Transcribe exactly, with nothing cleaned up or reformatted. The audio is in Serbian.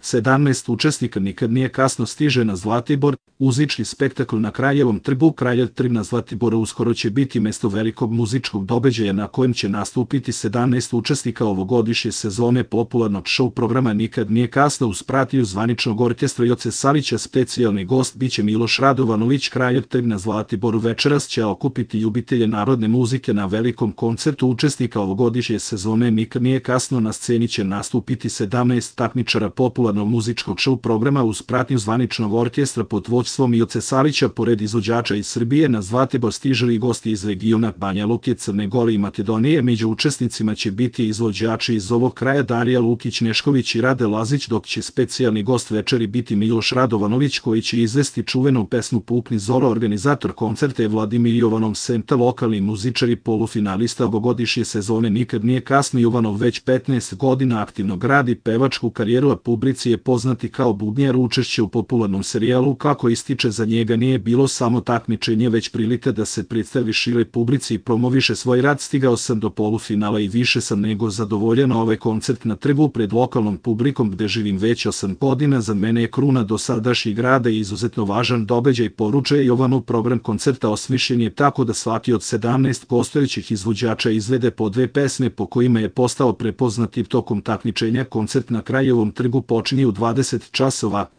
sedamnaest učesnika Nikad nije kasno stiže na Zlatibor, muzički spektakl na Kraljevom trgu. Kraljev trg na Zlatiboru uskoro će biti mesto velikog muzičkog događaja na kojem će nastupiti sedamnaest učesnika ovogodišnje sezone popularnog show programa Nikad nije kasno uz pratnju zvaničnog orkestra Joce Savića. Specijalni gost biće Miloš Radovanović. Kraljev trg na Zlatiboru večeras će okupiti ljubitelje narodne muzike na velikom koncertu učesnika ovogodišnje sezone Nikad nije kasno. Na sceni će nastupiti sedamnaest takmičara popularnog muzičkog show programa uz pratnju zvaničnog orkestra pod vođstvom Joce Savića. Pored izvođača iz Srbije na Zlatibor stižu i gosti iz regiona Banja Luke, Crne Gore i Makedonije. Među učesnicima će biti izvođači iz ovog kraja Darija Lukić Nešković i Rade Lazić, dok će specijalni gost večeri biti Miloš Radovanović koji će izvesti čuvenu pesmu Pukni Zoro. Organizator koncerta je Vladimir Jovanov Senta. Lokalni muzičari polufinalista ovogodišnje sezone Nikad nije kasno. Jovanov već petnaest godina aktivno gradi pevačku karijeru, a publici je poznati kao bubnjar. Učešće u popularnom serijalu Kako ističe za njega nije bilo samo takmičenje, već prilika da se predstavi široj publici i promoviše svoj rad. Stigao sam do polufinala i više sam nego zadovoljan. Ovaj koncert na trgu pred lokalnom publikom gde živim već osam godina za mene je kruna dosadašnjeg rada i izuzetno važan događaj, poručuje Jovanov. Program koncerta osmišljen je tako da svaki od sedamnaest gostujućih izvođača izvede po dve pesme po kojima je postao prepoznativ tokom takmičenja. Koncert na Kraljevom trgu počinje u dvadeset časova.